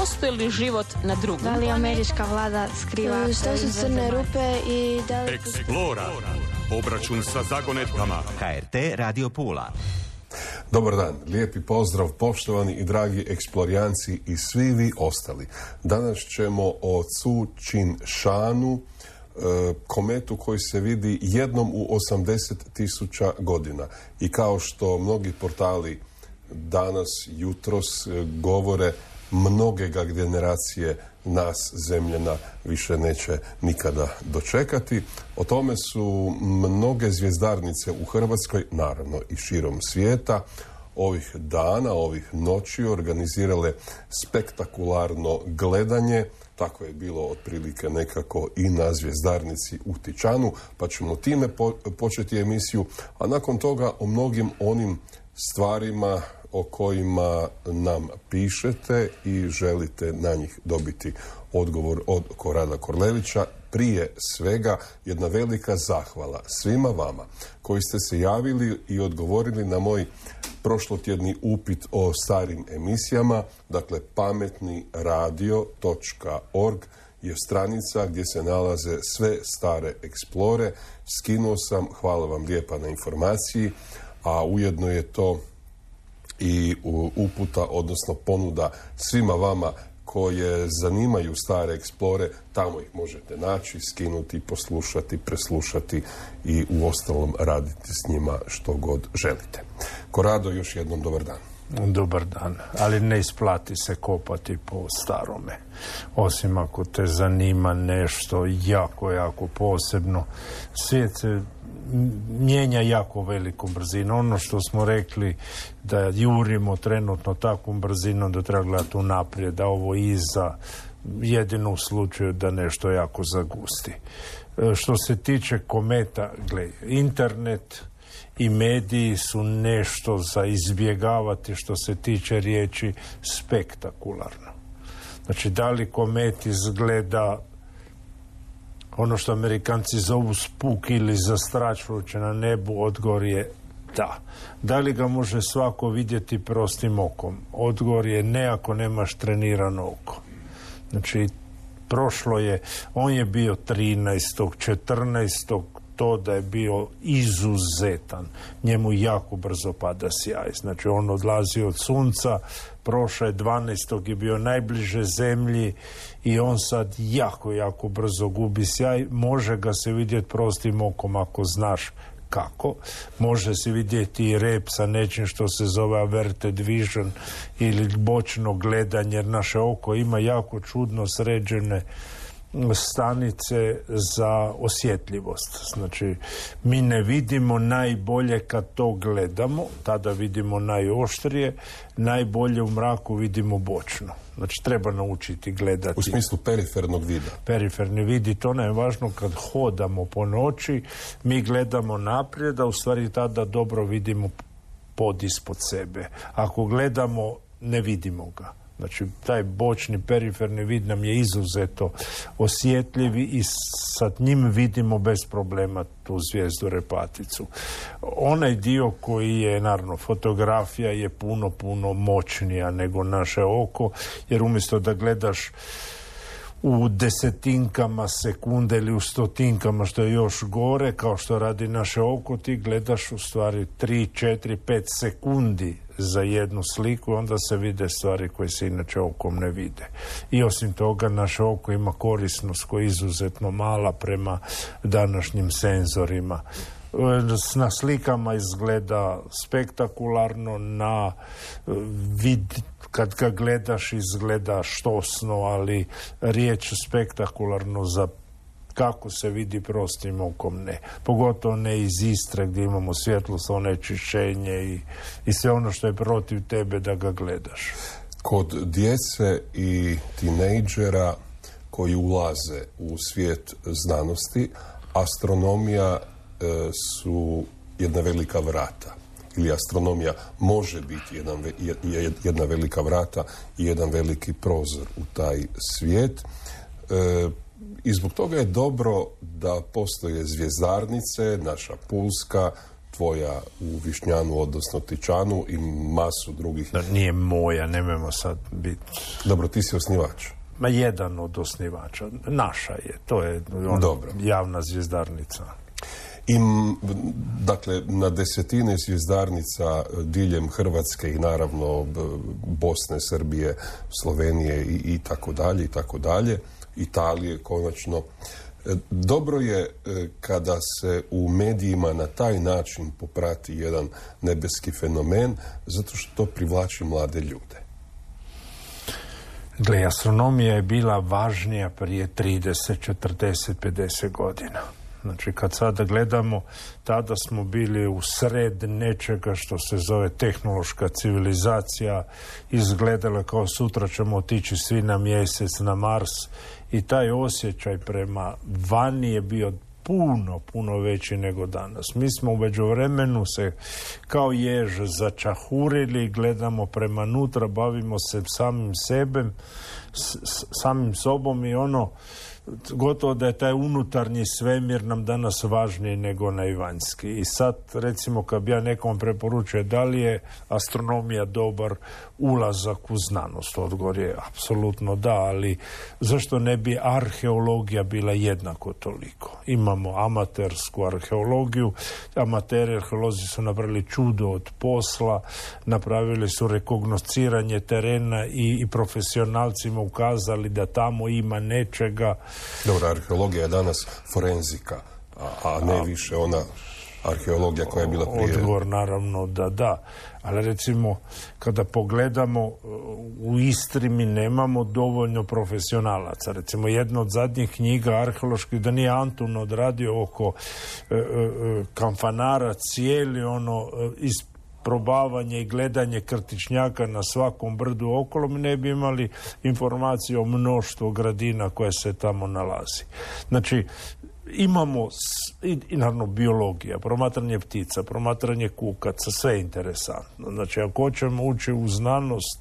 postoji li život na drugom? Da li američka vlada skriva? Što su crne rupe i da li... Eksplora. Obračun sa zagonetkama. HRT Radio Pula. Dobar dan, lijepi pozdrav poštovani i dragi eksplorijanci i svi vi ostali. Danas ćemo o Tzu Chin Shanu, kometu koji se vidi jednom u 80.000 godina. I kao što mnogi portali danas, jutros govore, mnoge ga generacije nas, zemljana, više neće nikada dočekati. O tome su mnoge zvjezdarnice u Hrvatskoj, naravno i širom svijeta, ovih dana, ovih noći organizirale spektakularno gledanje. Tako je bilo otprilike nekako i na zvjezdarnici u Tičanu, pa ćemo time početi emisiju, a nakon toga o mnogim onim stvarima o kojima nam pišete i želite na njih dobiti odgovor od Korada Korlevića. Prije svega jedna velika zahvala svima vama koji ste se javili i odgovorili na moj prošlotjedni upit o starim emisijama. Dakle, pametniradio.org je stranica gdje se nalaze sve stare eksplore. Skinuo sam, hvala vam lijepa na informaciji, a ujedno je to i uputa, odnosno ponuda svima vama koje zanimaju stare eksplore. Tamo ih možete naći, skinuti, poslušati, preslušati i uostalom raditi s njima što god želite. Korado, još jednom dobar dan. Dobar dan, ali ne isplati se kopati po starome. Osim ako te zanima nešto jako, jako posebno. Svijet se mijenja jako velikom brzinom. Ono što smo rekli da jurimo trenutno takvom brzinom da treba gledati unaprijed, da ovo iza, jedino u slučaju da nešto jako zagusti. Što se tiče kometa, gledaj, internet i mediji su nešto za izbjegavati što se tiče riječi spektakularno. Znači, da li komet izgleda ono što Amerikanci zovu spuk ili zastrašujuće na nebu, odgovor je da. Da li ga može svako vidjeti prostim okom? Odgovor je ne ako nemaš trenirano oko. Znači, prošlo je, on je bio 13. 14. to da je bio izuzetan. Njemu jako brzo pada sjaj. Znači, on odlazi od sunca, prošao je 12. je bio najbliže zemlji i on sad jako, jako brzo gubi sjaj. Može ga se vidjeti prostim okom ako znaš kako. Može se vidjeti i rep sa nečim što se zove averted vision ili bočno gledanje, jer naše oko ima jako čudno sređene stanice za osjetljivost. Znači, mi ne vidimo najbolje kad to gledamo, tada vidimo najoštrije, najbolje u mraku vidimo bočno. Znači, treba naučiti gledati. U smislu perifernog vida. Periferni vid, i to nam je važno kad hodamo po noći, mi gledamo naprijed, a u stvari tada dobro vidimo pod ispod sebe. Ako gledamo, ne vidimo ga. Znači, taj bočni periferni vid nam je izuzeto osjetljivi i sa njim vidimo bez problema tu zvijezdu repaticu. Onaj dio koji je, naravno, fotografija je puno, puno moćnija nego naše oko, jer umjesto da gledaš u desetinkama sekunde ili u stotinkama, što je još gore, kao što radi naše oko, ti gledaš u stvari 3, 4, 5 sekundi za jednu sliku, onda se vide stvari koje se inače okom ne vide. I osim toga, naše oko ima korisnost koja je izuzetno mala prema današnjim senzorima. Na slikama izgleda spektakularno, na vid kad ga gledaš izgleda štosno, ali riječ spektakularno za kako se vidi prostim okom ne. Pogotovo ne iz Istre gdje imamo svjetlost, onečišćenje i sve ono što je protiv tebe da ga gledaš. Kod djece i tinejdžera koji ulaze u svijet znanosti, astronomija su jedna velika vrata. Ili astronomija može biti jedna velika vrata i jedan veliki prozor u taj svijet. I zbog toga je dobro da postoje zvjezdarnice, naša pulska, tvoja u Višnjanu, odnosno Tičanu i masu drugih. Da nije moja, nemojmo sad biti... Dobro, ti si osnivač. Ma jedan od osnivača. Naša je. To je javna zvjezdarnica. I, dakle, na desetine zvjezdarnica diljem Hrvatske i naravno Bosne, Srbije, Slovenije i tako dalje, i tako dalje. Italije, konačno. Dobro je kada se u medijima na taj način poprati jedan nebeski fenomen, zato što to privlači mlade ljude. Gle, astronomija je bila važnija prije 30, 40, 50 godina. Znači, kad sada gledamo, tada smo bili u sred nečega što se zove tehnološka civilizacija, izgledala kao sutra ćemo otići svi na mjesec, na Mars, i taj osjećaj prema vani je bio puno veći nego danas. Mi smo u međuvremenu se kao jež začahurili, gledamo prema nutra, bavimo se samim sobom i gotovo da je taj unutarnji svemir nam danas važniji nego onaj vanjski. I sad, recimo, kad bi ja nekom preporučio da li je astronomija dobar ulazak u znanost, odgovor je apsolutno da, ali zašto ne bi arheologija bila jednako toliko? Imamo amatersku arheologiju, amateri arheolozi su napravili čudo od posla, napravili su rekognosciranje terena i profesionalcima ukazali da tamo ima nečega. Dobro, arheologija je danas forenzika, a ne više ona arheologija koja je bila prije. Odgovor naravno da. Ali recimo, kada pogledamo, u Istri mi nemamo dovoljno profesionalaca. Recimo, jedna od zadnjih knjiga arheoloških, da nije Antun odradio oko Kamfanara cijeli isprobavanje i gledanje krtičnjaka na svakom brdu okolo, mi ne bi imali informacije o mnoštvu gradina koje se tamo nalazi. Znači, imamo i naravno biologija, promatranje ptica, promatranje kukaca, sve je interesantno. Znači, ako hoćemo ući u znanost,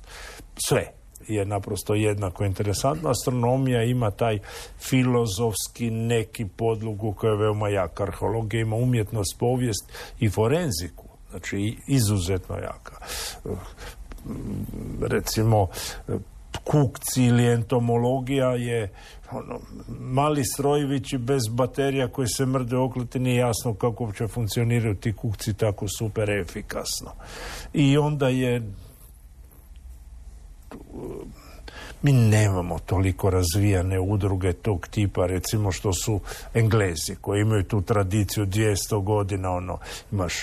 sve je naprosto jednako interesantno. Astronomija ima taj filozofski neki podlogu koja je veoma jaka. Arheologija ima umjetnost, povijest i forenziku. Znači, izuzetno jaka. Recimo, kukci ili entomologija je mali strojevići bez baterija koji se mrde okleti, nije jasno kako će funkcioniraju ti kukci tako super efikasno. I onda mi nemamo toliko razvijane udruge tog tipa, recimo što su Englezi, koji imaju tu tradiciju 200 godina, imaš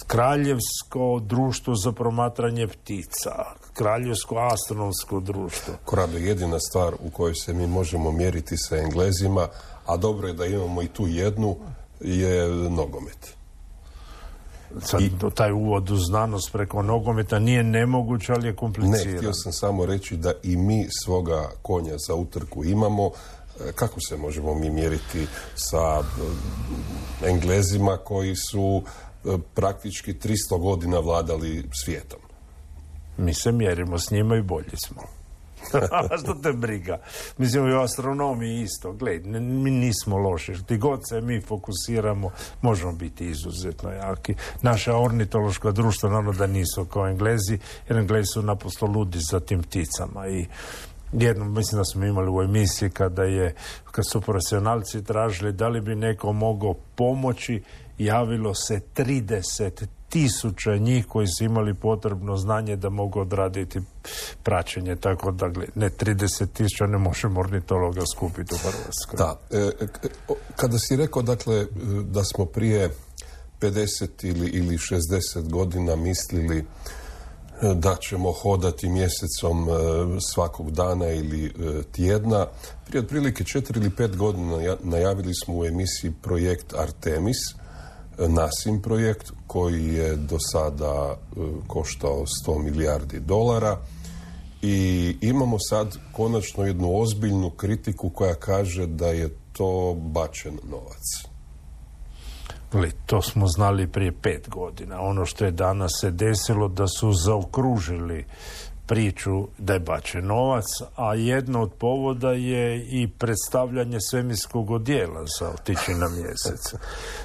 Kraljevsko društvo za promatranje ptica, Kraljevsko astronomsko društvo. Korado, jedina stvar u kojoj se mi možemo mjeriti sa Englezima, a dobro je da imamo i tu jednu, je nogomet. Sad, taj uvod u znanost preko nogometa nije nemoguće, ali je kompliciran. Ne, htio sam samo reći da i mi svoga konja za utrku imamo. Kako se možemo mi mjeriti sa Englezima koji su praktički 300 godina vladali svijetom? Mi se mjerimo s njima i bolji smo. Što te briga? Mislim, i u astronomiji isto. Gled, mi nismo loši. Ti god se mi fokusiramo, možemo biti izuzetno jaki. Naša ornitološka društva, naravno da nisu kao Englezi, jer Englezi su naprosto ludi za tim pticama. I jednom, mislim da smo imali u emisiji kad su profesionalci tražili da li bi neko mogao pomoći, javilo se 30.000 njih koji su imali potrebno znanje da mogu odraditi praćenje, tako da ne 30.000 ne možemo ornitologa skupiti u Hrvatskoj. Da. Kada si rekao, dakle, da smo prije 50 ili 60 godina mislili da ćemo hodati mjesecom svakog dana ili tjedna, prije otprilike 4 ili 5 godina najavili smo u emisiji projekt Artemis, NASIM projekt, koji je do sada koštao $100 milijardi i imamo sad konačno jednu ozbiljnu kritiku koja kaže da je to bačen novac. To smo znali prije 5 godina. Ono što je danas se desilo, da su zaokružili priču da je bačen novac, a jedno od povoda je i predstavljanje svemirskog odijela za otići na mjesec.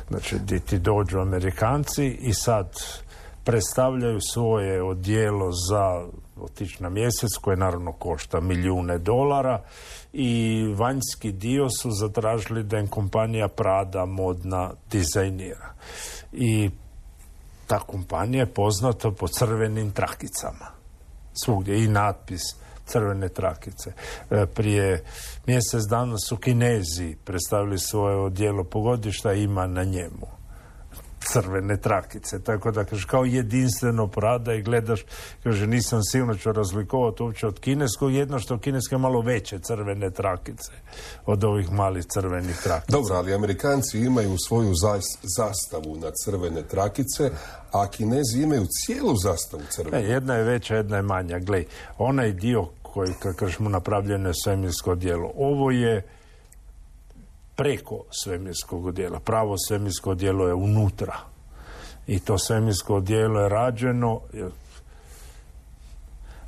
Znači, gdje ti dođu Amerikanci i sad predstavljaju svoje odijelo za otići na mjesec, koje naravno košta milijune dolara, i vanjski dio su zatražili da im kompanija Prada modna dizajnira. I ta kompanija je poznata po crvenim trakicama. Svugdje i natpis crvene trakice. Prije mjesec dana su Kinezi predstavili svoje odijelo pogodišta, ima na njemu crvene trakice. Tako da, kaže, kao jedinstveno Prada i gledaš, kaže, nisam sigurno ću razlikovati uopće od kineskog, jedno što kineske malo veće crvene trakice od ovih malih crvenih trakica. Dobro, ali Amerikanci imaju svoju zastavu na crvene trakice, a Kinezi imaju cijelu zastavu crvene. Jedna je veća, jedna je manja. Glej, onaj dio koji, kako kažemo, napravljeno je svemirsko odijelo. Ovo je preko svemirskog odijela. Pravo svemirsko odijelo je unutra. I to svemirsko odijelo je rađeno,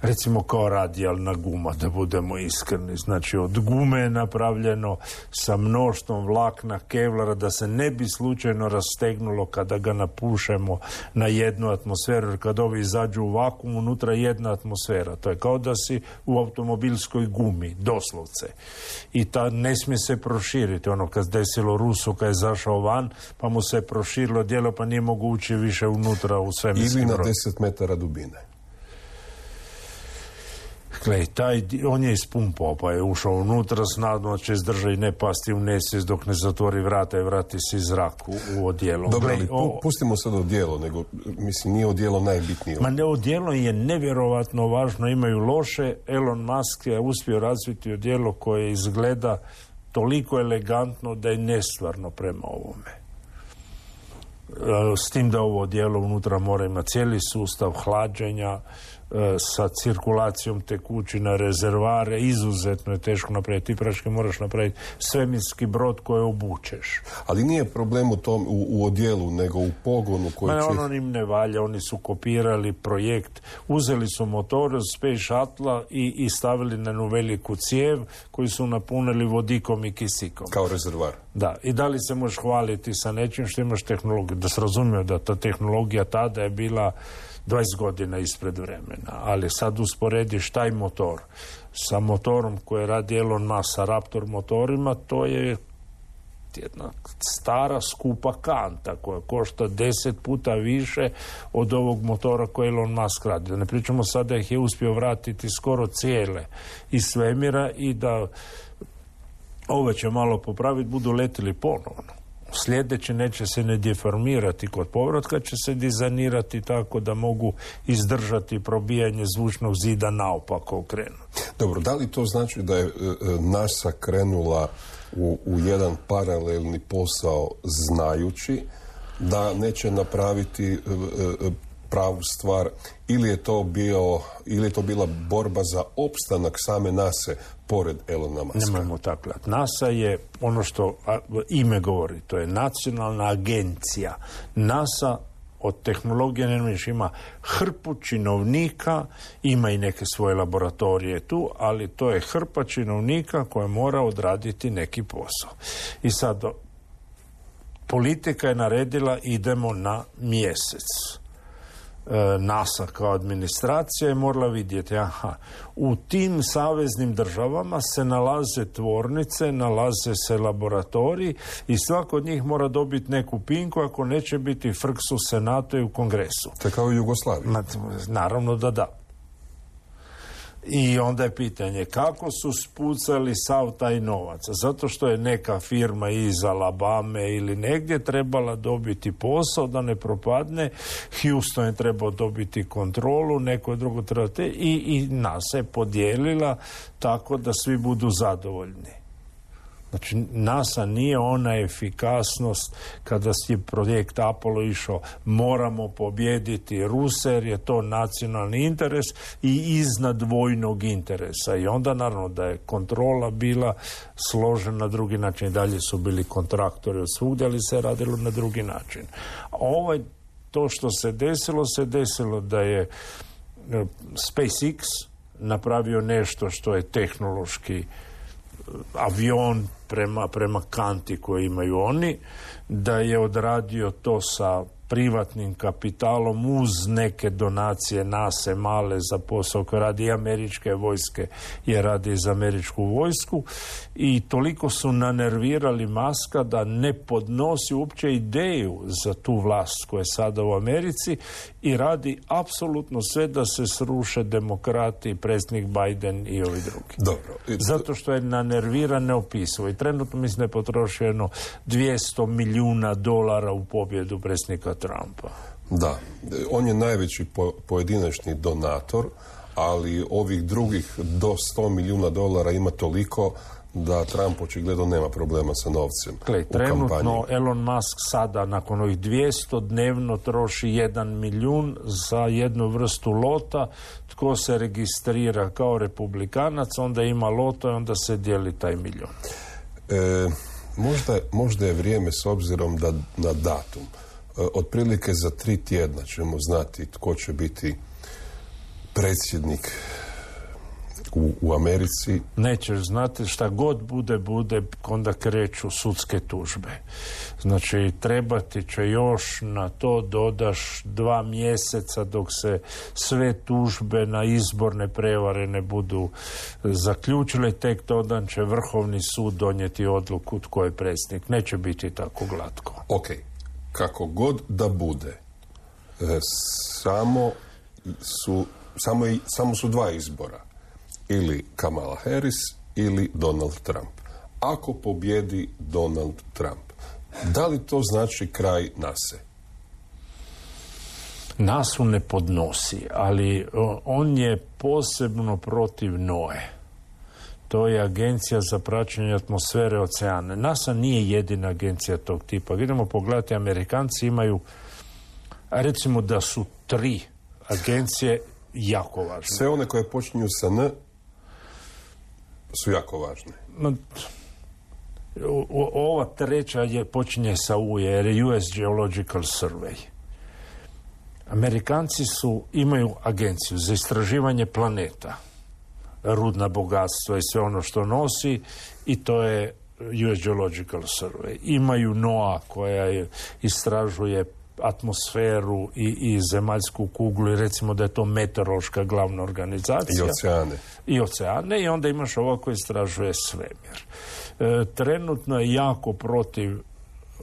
recimo kao radijalna guma, da budemo iskreni. Znači, od gume je napravljeno sa mnoštvom vlakna kevlara, da se ne bi slučajno rastegnulo kada ga napušemo na jednu atmosferu, jer kad ovi izađu u vakuum, unutra je jedna atmosfera. To je kao da si u automobilskoj gumi, doslovce. I ta ne smije se proširiti. Ono kad desilo Rusu, kad je zašao van, pa mu se proširilo djelo, pa nije mogu ući više unutra u svemirski brod. Ili na 10 metara dubine. Glej, on je ispumpao, pa je ušao unutra s nadom da će izdržati i ne pasti u nesvijest dok ne zatvori vrata i vrati se iz zraku u odijelo. Dobro, ali pustimo sad odijelo, nego, mislim, nije odijelo najbitnije. Ma ne, odijelo je nevjerovatno važno, imaju loše. Elon Musk je uspio razviti odijelo koje izgleda toliko elegantno da je nestvarno prema ovome. S tim da ovo odijelo unutra mora imati cijeli sustav hlađenja, sa cirkulacijom tekućina, rezervare, izuzetno je teško napraviti. Ti praške moraš napraviti svemirski brod koji obučeš. Ali nije problem u tom, u odijelu, nego u pogonu koji će... Ono im ne valja, oni su kopirali projekt, uzeli su motor od Space Shuttle i stavili na jednu veliku cijev koju su napunili vodikom i kisikom. Kao rezervar. Da, i da li se možeš hvaliti sa nečim što imaš tehnologiju? Da se razumije da ta tehnologija tada je bila 20 godina ispred vremena, ali sad usporediš taj motor sa motorom koje radi Elon Musk, sa Raptor motorima, to je jedna stara skupa kanta koja košta 10 puta više od ovog motora koje Elon Musk radi. Da ne pričamo sad da ih je uspio vratiti skoro cijele iz svemira i da ove će malo popraviti, budu letili ponovno. Sljedeće neće se ne deformirati kod povratka, će se dizajnirati tako da mogu izdržati probijanje zvučnog zida naopako okrenuti. Dobro, da li to znači da je NASA krenula u jedan paralelni posao znajući da neće napraviti pravu stvar, ili je to bila borba za opstanak same NASA pored Elona Muska? Nemojmo tako gledati. NASA je ono što ime govori, to je nacionalna agencija. NASA od tehnologije ima hrpu činovnika, ima i neke svoje laboratorije tu, ali to je hrpa činovnika koja mora odraditi neki posao. I sad politika je naredila idemo na mjesec. NASA kao administracija je morala vidjeti, u tim saveznim državama se nalaze tvornice, nalaze se laboratoriji i svako od njih mora dobiti neku pinku, ako neće biti frks u Senatu i u Kongresu. To je kao u Jugoslaviji. Naravno da. I onda je pitanje kako su spucali sav taj novac. Zato što je neka firma iz Alabame ili negdje trebala dobiti posao da ne propadne, Houston je trebao dobiti kontrolu, neko drugo treba i NASA je podijelila tako da svi budu zadovoljni. Znači, NASA nije ona efikasnost kada je projekt Apollo išao, moramo pobijediti Ruse jer je to nacionalni interes i iznad vojnog interesa. I onda naravno da je kontrola bila složena na drugi način. I dalje su bili kontraktori od svugdje, ali se radilo na drugi način. To što se desilo da je SpaceX napravio nešto što je tehnološki avion prema kanti koju imaju oni, da je odradio to sa privatnim kapitalom uz neke donacije NASA male za posao koji radi i američke vojske je radi za američku vojsku i toliko su nanervirali Muska da ne podnosi uopće ideju za tu vlast koja je sada u Americi i radi apsolutno sve da se sruše demokrati, predsjednik Biden i ovi drugi. Dobro. Zato što je nanerviran neopisivo i trenutno mislim da je potrošeno $200 milijuna u pobjedu predsjednika Trumpa. Da, on je najveći pojedinačni donator, ali ovih drugih do $100 milijuna ima toliko da Trump očigledno nema problema sa novcem u trenutno kampanji. Elon Musk sada nakon ovih 200 dnevno troši 1 milijun za jednu vrstu lota. Tko se registrira kao republikanac, onda ima loto i onda se dijeli taj milijun. Možda je vrijeme s obzirom na datum. Otprilike za 3 tjedna ćemo znati tko će biti predsjednik u Americi. Nećeš znati, šta god bude, onda kreću sudske tužbe. Znači, trebati će još na to dodaš 2 mjeseca dok se sve tužbe na izborne prevare ne budu zaključile, tek tada će Vrhovni sud donijeti odluku tko je predsjednik. Neće biti tako glatko. Ok, kako god da bude, samo su 2 izbora. Ili Kamala Harris ili Donald Trump. Ako pobjedi Donald Trump, da li to znači kraj NASA? NASA ne podnosi, ali on je posebno protiv NOE. To je agencija za praćenje atmosfere oceana. NASA nije jedina agencija tog tipa. Idemo pogledati, Amerikanci imaju, recimo da su 3 agencije jako važne. Sve one koje počinju sa N su jako važne. Ova treća počinje sa U, jer je US Geological Survey. Amerikanci imaju agenciju za istraživanje planeta, rudna bogatstva i sve ono što nosi, i to je US Geological Survey. Imaju NOAA koja istražuje atmosferu i zemaljsku kuglu i recimo da je to meteorološka glavna organizacija. I oceane. I onda imaš ovo koji istražuje svemir. Trenutno je jako protiv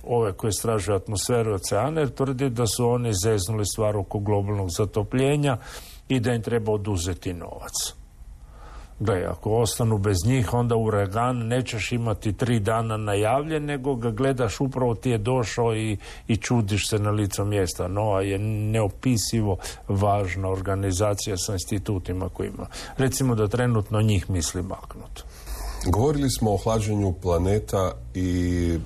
ove koje istražuju atmosferu i oceane, jer tvrdi da su oni zeznuli stvar oko globalnog zatopljenja i da im treba oduzeti novac. Gle, ako ostanu bez njih, onda uragan nećeš imati 3 dana najavljen, nego ga gledaš, upravo ti je došao i čudiš se na licu mjesta. NOAA je neopisivo važna organizacija sa institutima koji ima. Recimo da trenutno njih misli maknuti. Govorili smo o hlađenju planeta i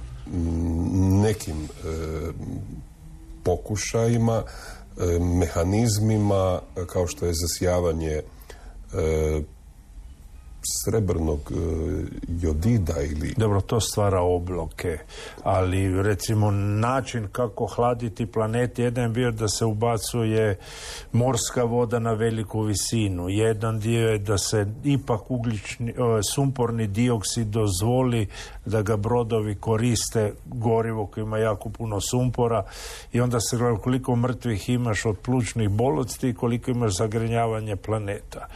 nekim pokušajima, mehanizmima kao što je zasijavanje srebrnog jodida ili... Dobro, to stvara obloke, ali recimo način kako hladiti planet, jedan je bio da se ubacuje morska voda na veliku visinu. Jedan dio je da se ipak sumporni dioksid dozvoli da ga brodovi koriste, gorivo koje ima jako puno sumpora, i onda se gleda koliko mrtvih imaš od plućnih bolesti i koliko imaš zagrinjavanje planeta.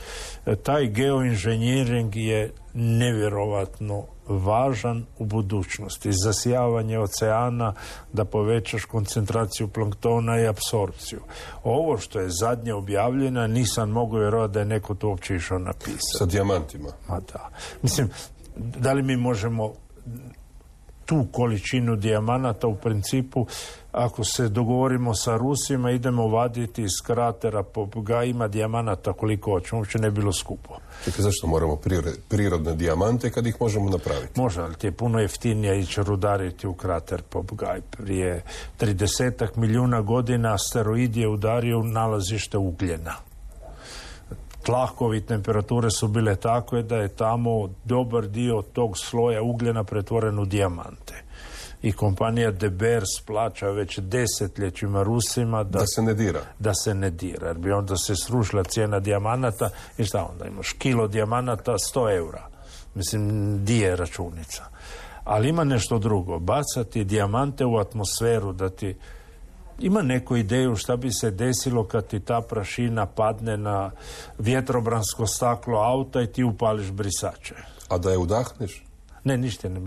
Taj geoinženjering je nevjerovatno važan u budućnosti. Zasijavanje oceana da povećaš koncentraciju planktona i apsorpciju. Ovo što je zadnje objavljeno, nisam mogao vjerovati da je neko to uopće išao napisati. Sa dijamantima. Ma da. Mislim, da li mi možemo tu količinu dijamanata, u principu, ako se dogovorimo sa Rusima, idemo vaditi iz kratera Popgajima dijamanata koliko hoćemo, uopće ne bilo skupo. Čekaj, zašto moramo prirodne dijamante kad ih možemo napraviti? Može, ali ti je puno jeftinije ići rudariti u krater Popgaj. Prije 30 milijuna godina asteroid je udario nalazište ugljena. Tlakovi temperature su bile takve da je tamo dobar dio tog sloja ugljena pretvoren u dijamante. I kompanija De Beers plaća već desetljećima Rusima da se ne dira. Jer bi onda se srušila cijena dijamanata i šta onda imaš? Kilo dijamanata 100 eura. Mislim, di je računica. Ali ima nešto drugo. Bacati dijamante u atmosferu da ti... Ima neku ideju šta bi se desilo kad ti ta prašina padne na vjetrobransko staklo auta i ti upališ brisače. A da je udahneš? Ne, ništa ne.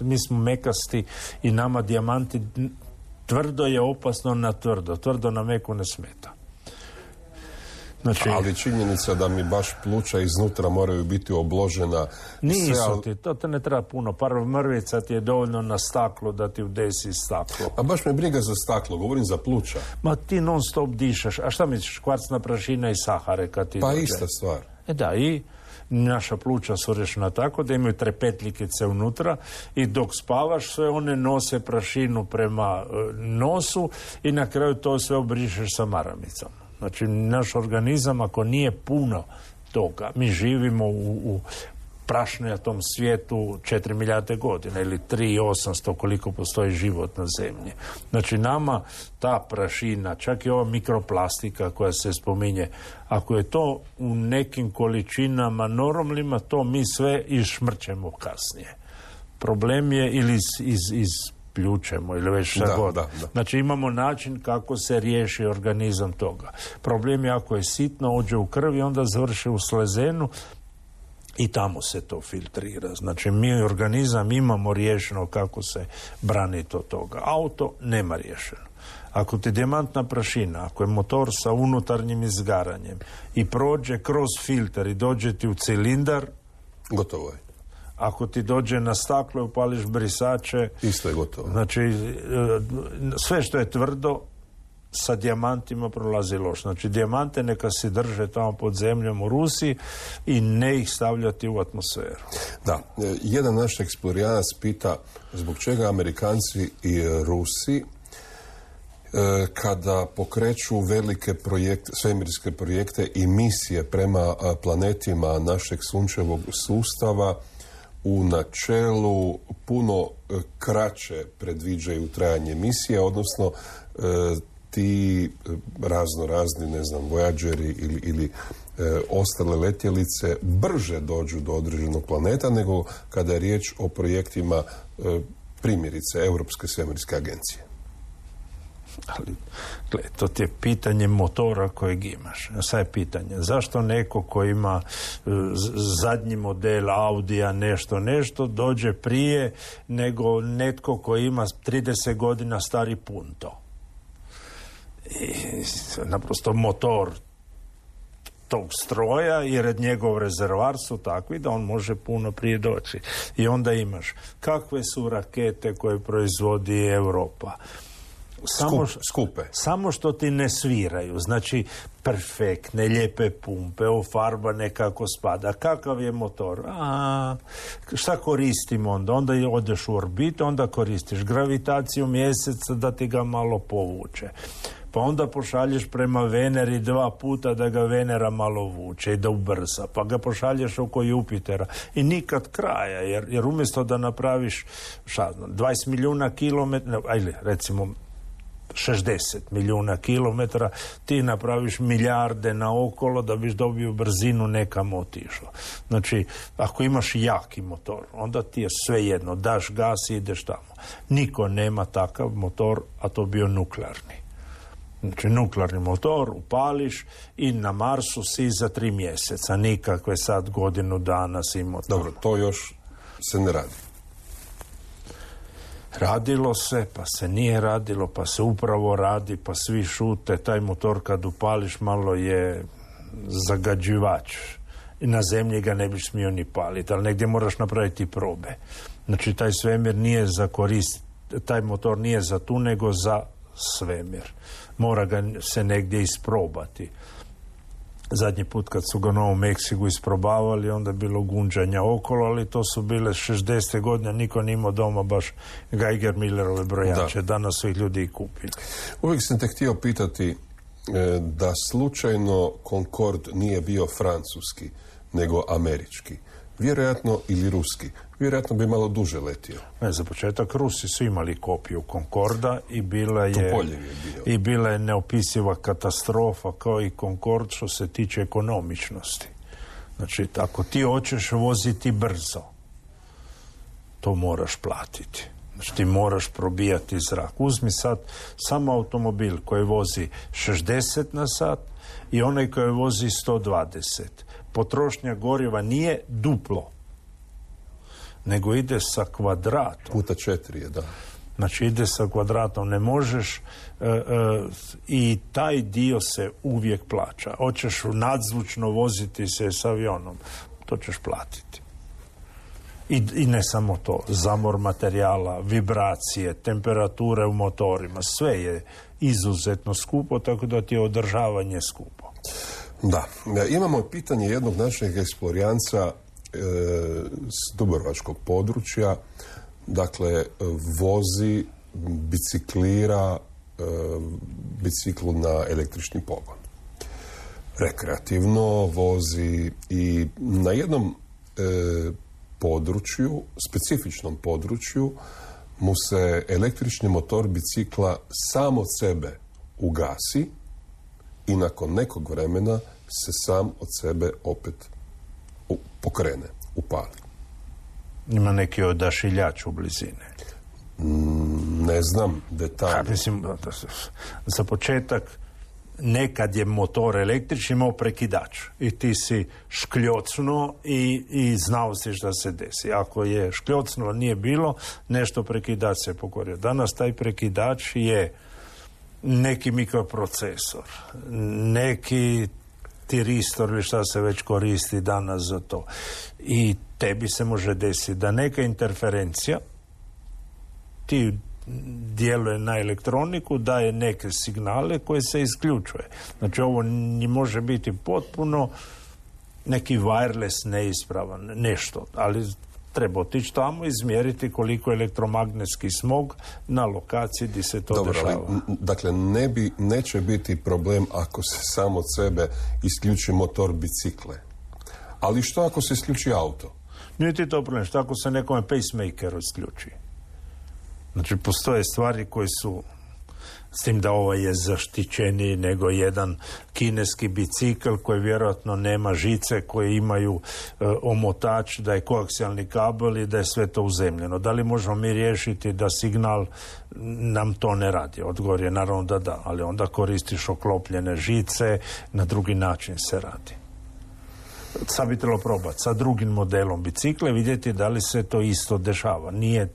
Mi smo mekasti i nama dijamanti tvrdo je opasno na tvrdo. Tvrdo na meku ne smeta. Znači, ali činjenica da mi baš pluća iznutra moraju biti obložena... Nisu ti, to te ne treba puno. Par mrvica ti je dovoljno na staklu da ti udesi staklo. A baš me briga za staklo, govorim za pluća. Ma ti non stop dišaš. A šta misliš, kvarcna prašina i sahare kad ti pa dođe? Ista stvar. Da, i naša pluća su rješena tako da imaju trepetljikice unutra i dok spavaš sve one nose prašinu prema nosu i na kraju to sve obrišeš sa maramicom. Znači, naš organizam, ako nije puno toga, mi živimo u prašnatom svijetu 4 milijarde godina ili 3.800 koliko postoji život na zemlji. Znači, nama ta prašina, čak i ova mikroplastika koja se spominje, ako je to u nekim količinama normalnima, to mi sve išmrćemo kasnije. Problem je ili pljučemo ili već šta god. Da. Znači imamo način kako se riješi organizam toga. Problem je ako je sitno, ođe u krvi, onda završi u slezenu i tamo se to filtrira. Znači mi organizam imamo riješeno kako se braniti od toga. Auto nema riješeno. Ako ti dijamantna prašina, ako je motor sa unutarnjim izgaranjem i prođe kroz filter i dođe ti u cilindar, gotovo je. Ako ti dođe na staklo i upališ brisače, isto je gotovo. Znači, sve što je tvrdo sa dijamantima prolazi loš. Znači, dijamante neka se drže tamo pod zemljom u Rusiji i ne ih stavljati u atmosferu. Da, jedan naš eksplorijanac pita zbog čega Amerikanci i Rusi kada pokreću velike projekte, svemirske projekte i misije prema planetima našeg sunčevog sustava u načelu puno kraće predviđaju trajanje misije, odnosno ti razni, ne znam, Voyageri ili ostale letjelice brže dođu do određenog planeta nego kada je riječ o projektima primjerice Europske svemirske agencije. Ali, gled, to ti je pitanje motora kojeg imaš. Sad je pitanje, zašto neko ko ima zadnji model Audija nešto dođe prije nego netko koji ima 30 godina stari Punto. I naprosto motor tog stroja jer njegov rezervar su takvi da on može puno prije doći. I onda imaš kakve su rakete koje proizvodi Europa. Skupe. Samo što ti ne sviraju, znači perfektne, lijepe pumpe, farba nekako spada. Kakav je motor? Šta koristimo onda? Onda odeš u orbitu, onda koristiš gravitaciju mjeseca da ti ga malo povuče. Pa onda pošalješ prema Veneri 2 puta da ga Venera malo vuče i da ubrza. Pa ga pošalješ oko Jupitera i nikad kraja, jer umjesto da napraviš 20 milijuna kilometara, ajde, recimo 60 milijuna kilometara, ti napraviš milijarde naokolo da biš dobio brzinu nekam otišlo. Znači, ako imaš jaki motor, onda ti je svejedno, daš gas i ideš tamo. Niko nema takav motor, a to bio nuklearni. Znači, nuklearni motor upališ i na Marsu si za 3 mjeseca. Nikakve sad godinu dana si motor. Dobro, to još se ne radi. Radilo se, pa se nije radilo, pa se upravo radi, pa svi šute. Taj motor kad upališ malo je zagađivač. I na zemlji ga ne biš smio ni paliti, ali negdje moraš napraviti probe. Znači, taj svemir nije za korist, taj motor nije za tu, nego za svemir. Mora ga se negdje isprobati. Zadnji put kad su ga u Novom Meksiku isprobavali, onda je bilo gunđanja okolo, ali to su bile 60. godine, niko nije imao doma baš Geiger-Millerove brojače. Danas su ih ljudi i kupili. Uvijek sam te htio pitati da slučajno Concorde nije bio francuski, nego američki. Vjerojatno, ili ruski. Vjerojatno bi malo duže letio. Ne, za početak Rusi su imali kopiju Concorda i bila je neopisiva katastrofa kao i Concorde što se tiče ekonomičnosti. Znači, ako ti hoćeš voziti brzo, to moraš platiti. Znači, ti moraš probijati zrak. Uzmi sad samo automobil koji vozi 60 na sat i onaj koji vozi 120. Potrošnja goriva nije duplo, nego ide sa kvadratom. Puta 4 je, da. Znači, ide sa kvadratom. Ne možeš i taj dio se uvijek plaća. Hoćeš nadzvučno voziti se s avionom, to ćeš platiti. I ne samo to. Zamor materijala, vibracije, temperature u motorima, sve je izuzetno skupo, tako da ti je održavanje skupo. Da. Imamo pitanje jednog našeg eksplorijanca s dubrovačkog područja. Dakle, vozi, biciklira biciklu na električni pogon. Rekreativno vozi i na jednom području, specifičnom području, mu se električni motor bicikla sam od sebe ugasi i nakon nekog vremena se sam od sebe opet pokrene, upali. Ima neki odašiljač u blizine? Ne znam detalje. Mislim, za početak, nekad je motor električni imao prekidač i ti si škljocnuo i znao si šta se desi. Ako je škljocnuo, nije bilo, nešto prekidač se pokorio. Danas taj prekidač je neki mikroprocesor, neki tiristor ili šta se već koristi danas za to. I tebi se može desiti da neka interferencija ti djeluje na elektroniku, daje neke signale koje se isključuje. Znači, ovo može biti potpuno neki wireless neispravan, nešto, ali treba otići tamo i izmjeriti koliko je elektromagnetski smog na lokaciji gdje se to dešava. Dakle, neće biti problem ako se sam od sebe isključi motor bicikle. Ali što ako se isključi auto? Nije ti to problem. Što ako se nekome pacemaker isključi? Znači, postoje stvari koje su, s tim da ovo je zaštićeniji nego jedan kineski bicikl koji vjerojatno nema žice, koje imaju omotač, da je koaksijalni kabel i da je sve to uzemljeno. Da li možemo mi riješiti da signal nam to ne radi? Odgovor je naravno da da, ali onda koristiš oklopljene žice, na drugi način se radi. Sad bi trebalo probati sa drugim modelom bicikla, vidjeti da li se to isto dešava. Nije.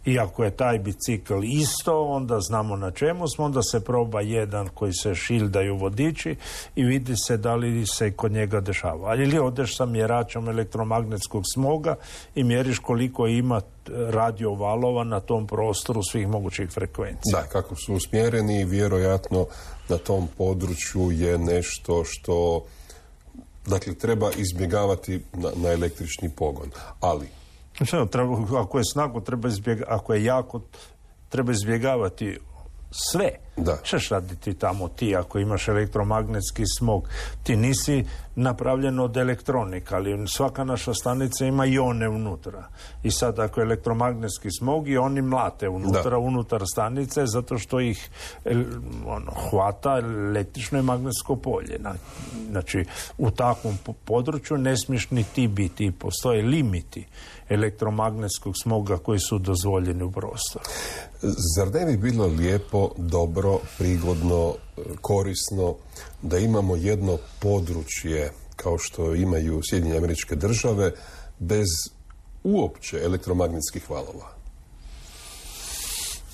Iako je taj bicikl isto, onda znamo na čemu smo, onda se proba jedan koji se šildaju vodiči i vidi se da li se kod njega dešava. Ali ili odeš sa mjeračom elektromagnetskog smoga i mjeriš koliko ima radio valova na tom prostoru svih mogućih frekvencija. Da, kako su usmjereni i vjerojatno na tom području je nešto što, dakle, treba izbjegavati na električni pogon. Ali ako je snago, ako je jako, treba izbjegavati sve. Češ raditi tamo ti ako imaš elektromagnetski smog? Ti nisi napravljen od elektronika, ali svaka naša stanica ima ione unutra. I sad ako je elektromagnetski smog i oni mlate unutar stanice zato što ih hvata električno i magnetsko polje. Znači, u takvom području ne smiješ ni ti biti. Postoje limiti elektromagnetskog smoga koji su dozvoljeni u prostoru. Zar ne bi bilo lijepo, dobro, prigodno, korisno da imamo jedno područje kao što imaju Sjedinjene Američke Države bez uopće elektromagnetskih valova?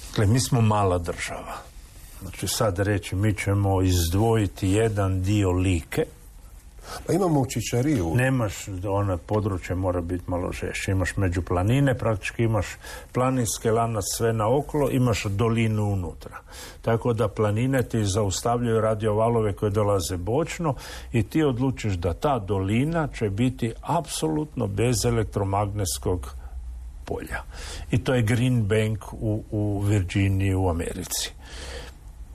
Dakle, mi smo mala država. Znači, sad reći mi ćemo izdvojiti jedan dio Like. Pa imamo u Čičariju. Nemaš, ono područje mora biti malo žešće. Imaš među planine, praktički imaš planinske lanac sve naokolo, imaš dolinu unutra. Tako da planine ti zaustavljaju radiovalove koje dolaze bočno i ti odlučiš da ta dolina će biti apsolutno bez elektromagnetskog polja. I to je Green Bank u Virginiji u Americi.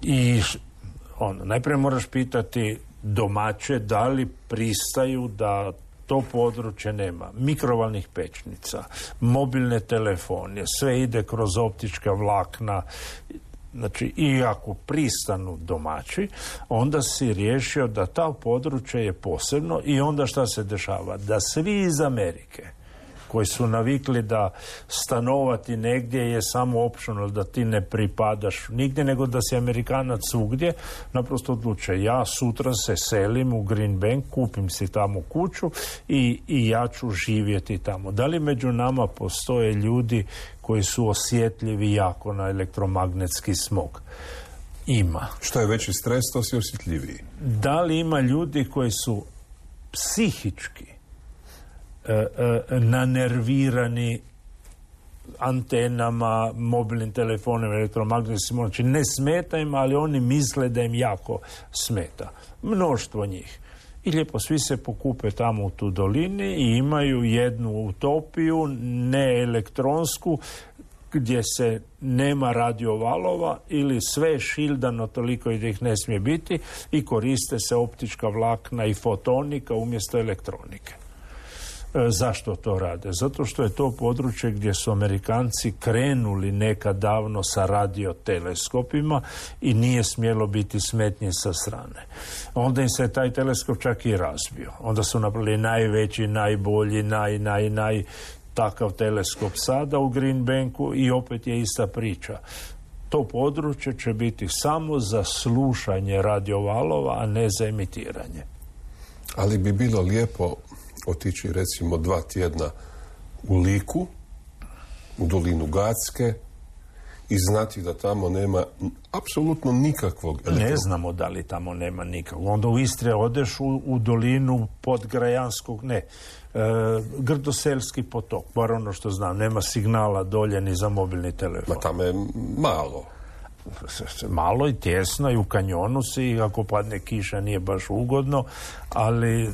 I najprije moraš pitati domaće, da li pristaju da to područje nema mikrovalnih pećnica, mobilne telefonije, sve ide kroz optička vlakna. Znači, i ako pristanu domaći, onda si riješio da ta područje je posebno i onda šta se dešava? Da svi iz Amerike koji su navikli da stanovati negdje je samo optional, da ti ne pripadaš nigdje, nego da si Amerikanac svugdje, naprosto odluče, ja sutra se selim u Green Bank, kupim si tamo kuću i ja ću živjeti tamo. Da li među nama postoje ljudi koji su osjetljivi jako na elektromagnetski smog? Ima. Što je veći stres, to si osjetljiviji. Da li ima ljudi koji su psihički nanervirani antenama, mobilnim telefonima, elektromagnetskim, znači ne smeta im, ali oni misle da im jako smeta. Mnoštvo njih. I lijepo svi se pokupe tamo u tu dolini i imaju jednu utopiju, ne elektronsku, gdje se nema radiovalova ili sve je šildano toliko i da ih ne smije biti i koriste se optička vlakna i fotonika umjesto elektronike. Zašto to rade? Zato što je to područje gdje su Amerikanci krenuli nekad davno sa radioteleskopima i nije smjelo biti smetnje sa strane. Onda im se taj teleskop čak i razbio. Onda su napravili najveći, najbolji, takav teleskop sada u Green Banku i opet je ista priča. To područje će biti samo za slušanje radiovalova, a ne za emitiranje. Ali bi bilo lijepo otići recimo 2 tjedna u Liku, u dolinu Gacke i znati da tamo nema apsolutno nikakvog Ne znamo da li tamo nema nikakvog. Onda u Istri odeš u dolinu Podgrajanskog, Grdoselski potok, bar ono što znam, nema signala dolje ni za mobilni telefon. Ma tamo je malo. Malo i tjesno i u kanjonu si, ako padne kiša nije baš ugodno, ali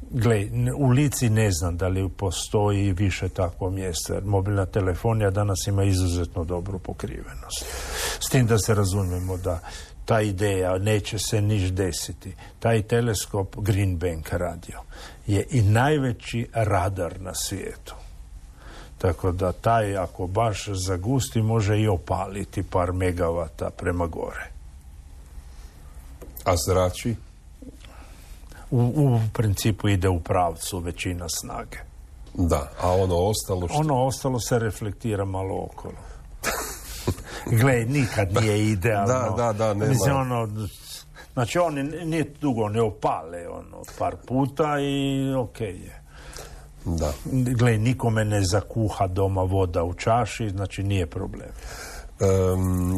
gle, u Lici ne znam da li postoji više takvo mjesto, jer mobilna telefonija danas ima izuzetno dobru pokrivenost. S tim da se razumijemo da ta ideja neće se niš desiti. Taj teleskop Green Bank radio je i najveći radar na svijetu. Tako da taj, ako baš zagusti, može i opaliti par megavata prema gore. A zrači? U principu ide u pravcu većina snage. Da, a ono ostalo što? Ono ostalo se reflektira malo okolo. Gle, nikad nije idealno. Da, nema. Mislim, znači, oni nije dugo ne opale, par puta i okej je. Da. Gle, nikome ne zakuha doma voda u čaši, znači nije problem.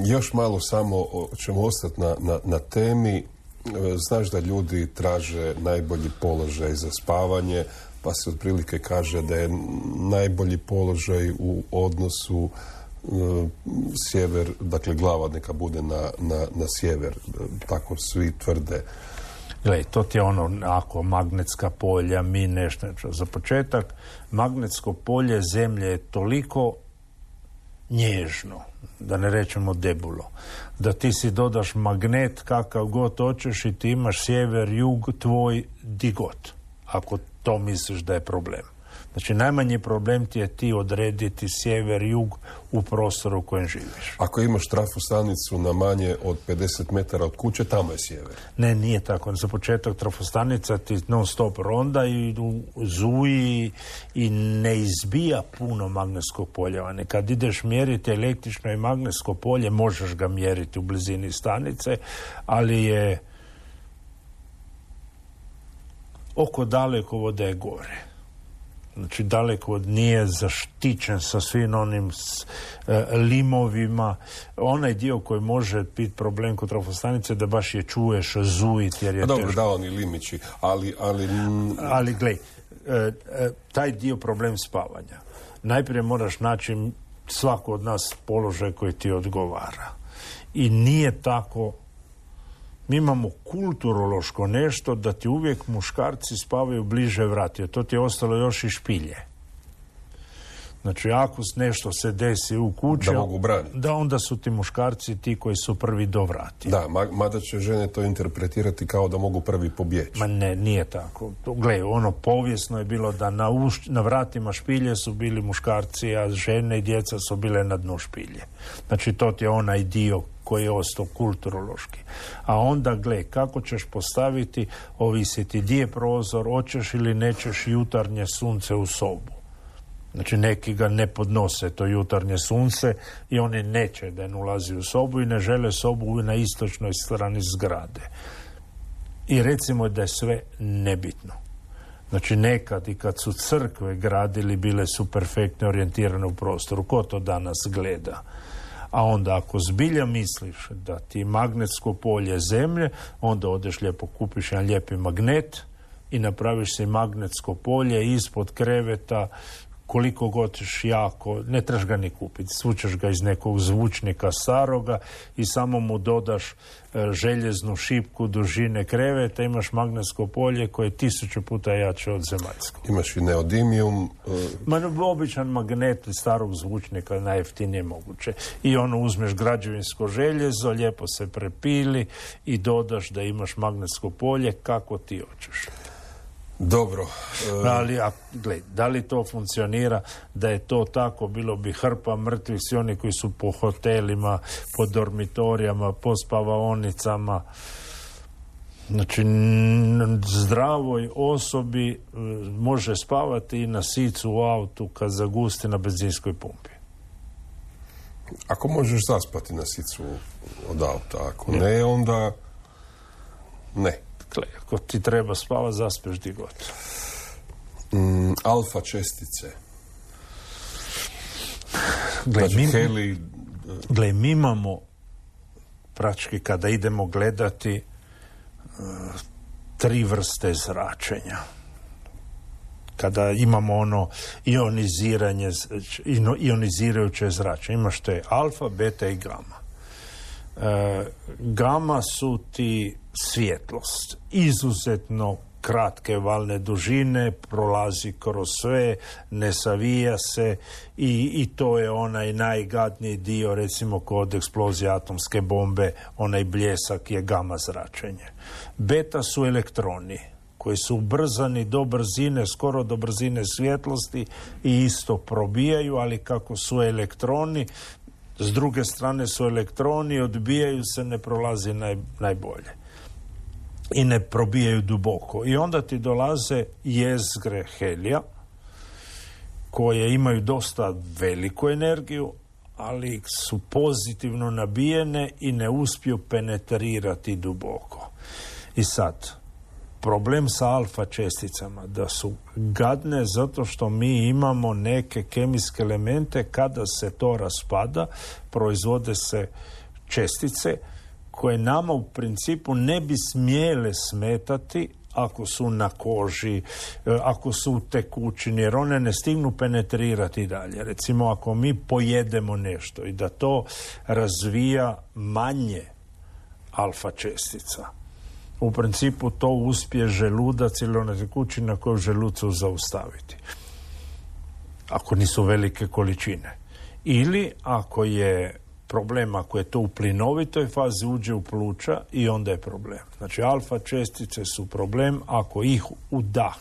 Još malo samo ćemo ostati na temi. Znaš da ljudi traže najbolji položaj za spavanje, pa se otprilike kaže da je najbolji položaj u odnosu sjever, dakle glava neka bude na sjever, tako svi tvrde. Glej, to ti je ako magnetska polja, mi nešto. Za početak, magnetsko polje zemlje je toliko nježno, da ne rečemo debulo, da ti si dodaš magnet kakav god hoćeš i ti imaš sjever, jug, tvoj di god, ako to misliš da je problem. Znači, najmanji problem ti je ti odrediti sjever, jug u prostoru u kojem živiš. Ako imaš trafostanicu na manje od 50 metara od kuće, tamo je sjever. Ne, nije tako. Za početak trafostanica ti non stop ronda i zuji i ne izbija puno magnetskog polja. Kad ideš mjeriti električno i magnetsko polje, možeš ga mjeriti u blizini stanice, ali je oko dalekovoda je gore. Znači, daleko nije zaštićen sa svim onim limovima. Onaj dio koji može biti problem kod trafostanice da baš je čuješ zujiti jer je dobro, teško. Da, oni limići, ali glej, taj dio problem spavanja. Najprije moraš naći svako od nas položaj koji ti odgovara. I nije tako. Mi imamo kulturološko nešto da ti uvijek muškarci spavaju bliže vrati. To ti je ostalo još i špilje. Znači, ako nešto se desi u kući, da mogu braniti. Da, onda su ti muškarci ti koji su prvi do vrati. Da, mada će žene to interpretirati kao da mogu prvi pobjeći. Ma ne, nije tako. Gle, ono povijesno je bilo da na vratima špilje su bili muškarci, a žene i djeca su bile na dnu špilje. Znači, to ti je onaj dio koji je ostao kulturološki. A onda, gle, kako ćeš postaviti, ovisiti gdje je prozor, hoćeš ili nećeš jutarnje sunce u sobu. Znači, neki ga ne podnose, to jutarnje sunce, i oni neće da ne ulazi u sobu i ne žele sobu na istočnoj strani zgrade. I recimo da je sve nebitno. Znači, nekad i kad su crkve gradili, bile su perfektno orijentirane u prostoru. Ko to danas gleda? A onda ako zbilja misliš da ti je magnetsko polje zemlje, onda odeš lijepo, kupiš jedan lijepi magnet i napraviš si magnetsko polje ispod kreveta, koliko god ćeš jako, ne trebaš ga ni kupiti, svučeš ga iz nekog zvučnika staroga i samo mu dodaš željeznu šipku dužine kreveta, imaš magnetsko polje koje je 1000 puta jače od zemaljskog. Imaš i neodimijum. Običan magnet iz starog zvučnika, najjeftinije moguće. I ono, uzmeš građevinsko željezo, lijepo se prepili i dodaš da imaš magnetsko polje kako ti hoćeš. Dobro. Ali, gled, da li to funkcionira? Da je to tako, bilo bi hrpa mrtvih, svi oni koji su po hotelima, po dormitorijama, po spavaonicama. Znači, zdravoj osobi može spavati i na sicu u autu kad zagusti na benzinskoj pumpi. Ako možeš zaspati na sicu od auta, ako ne, onda ne. Ako ti treba spavati, zaspeš di god. Alfa čestice. Mi imamo praktički, kada idemo gledati, 3 vrste zračenja. Kada imamo ono ionizirajuće zračenje, imaš to je alfa, beta i gama. Gama su ti svjetlost, izuzetno kratke valne dužine, prolazi kroz sve, ne savija se i to je onaj najgadniji dio, recimo kod eksplozije atomske bombe, onaj bljesak je gama zračenje. Beta su elektroni koji su ubrzani do brzine, skoro do brzine svjetlosti i isto probijaju, ali kako su elektroni, s druge strane su elektroni, odbijaju se, ne prolazi najbolje. I ne probijaju duboko. I onda ti dolaze jezgre helija, koje imaju dosta veliku energiju, ali su pozitivno nabijene i ne uspiju penetrirati duboko. I sad, problem sa alfa česticama, da su gadne zato što mi imamo neke kemijske elemente, kada se to raspada, proizvode se čestice koje nama u principu ne bi smjele smetati ako su na koži, ako su u tekućini, jer one ne stignu penetrirati dalje. Recimo, ako mi pojedemo nešto i da to razvija manje alfa čestica, u principu to uspije želudac ili ona tekućina koju želucu zaustaviti. Ako nisu velike količine. Ili ako je problem, ako je to u plinovitoj fazi, uđe u pluća i onda je problem. Znači, alfa čestice su problem ako ih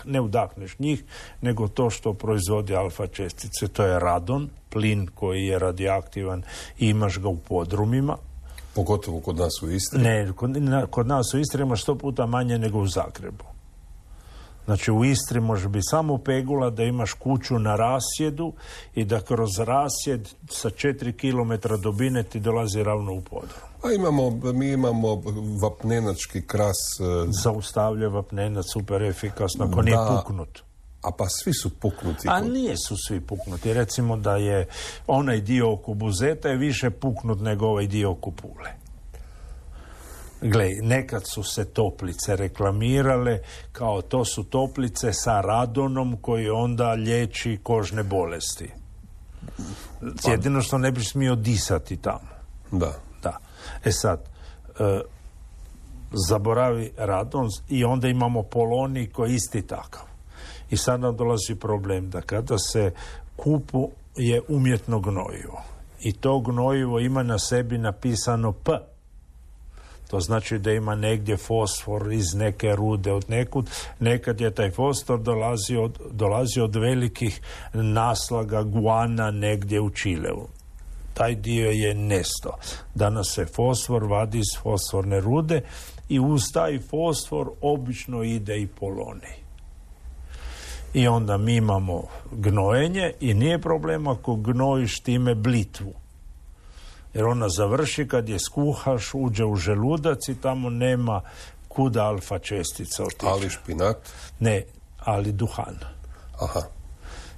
ne udahneš njih, nego to što proizvodi alfa čestice. To je radon, plin koji je radioaktivan i imaš ga u podrumima. Pogotovo kod nas u Istri? Ne, kod nas u Istri ima 100 puta manje nego u Zagrebu. Znači, u Istri može biti samo pegula da imaš kuću na rasjedu i da kroz rasjed sa 4 km dubine ti dolazi ravno u podrum. A mi imamo vapnenački kras. Zaustavlja vapnenac super efikasno, ako nije puknut. A pa svi su puknuti. A nisu svi puknuti. Recimo da je onaj dio oko Buzeta je više puknut nego ovaj dio oko Pule. Gle, nekad su se toplice reklamirale kao to su toplice sa radonom koji onda liječi kožne bolesti. Jedino što ne biš smio disati tamo. Da. E sad, zaboravi radon i onda imamo polonij koji je isti takav. I sad nam dolazi problem da kada se kupu je umjetno gnojivo. I to gnojivo ima na sebi napisano P. To znači da ima negdje fosfor iz neke rude od nekud. Nekad je taj fosfor dolazi od velikih naslaga guana negdje u Čileu. Taj dio je nestao. Danas se fosfor vadi iz fosforne rude i uz taj fosfor obično ide i polonij. I onda mi imamo gnojenje i nije problem ako gnojiš time blitvu. Jer ona završi kad je skuhaš, uđe u želudac i tamo nema kuda alfa čestica otići. Ali špinat? Ne, ali duhan. Aha.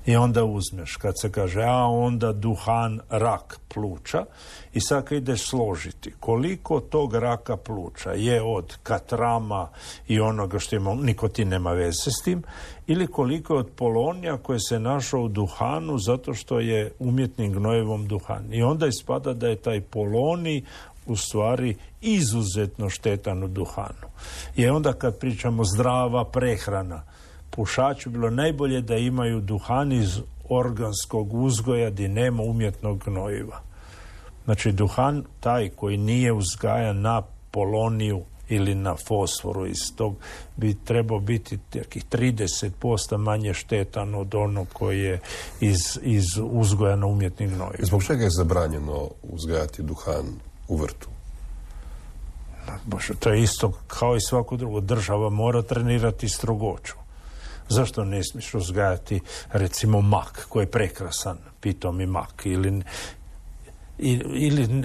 I onda uzmeš, kad se kaže, onda duhan rak pluća i sad kad ideš složiti koliko tog raka pluća je od katrama i onoga što ima, nikotin nema veze s tim, ili koliko je od polonija koje se našao u duhanu zato što je umjetnim gnojevom duhan. I onda ispada da je taj polonij u stvari izuzetno štetan u duhanu. I onda kad pričamo zdrava prehrana, pušaču bilo najbolje da imaju duhan iz organskog uzgoja gdje nema umjetnog gnojiva. Znači duhan taj koji nije uzgajan na poloniju ili na fosforu iz tog bi trebao biti 30% manje štetan od onog koji je iz uzgoja na umjetnim gnojivima. Zbog čega je zabranjeno uzgajati duhan u vrtu? Bože, to je isto kao i svako drugo. Država mora trenirati strogoću. Zašto ne smiješ uzgajati recimo mak koji je prekrasan, pitomi mak, ili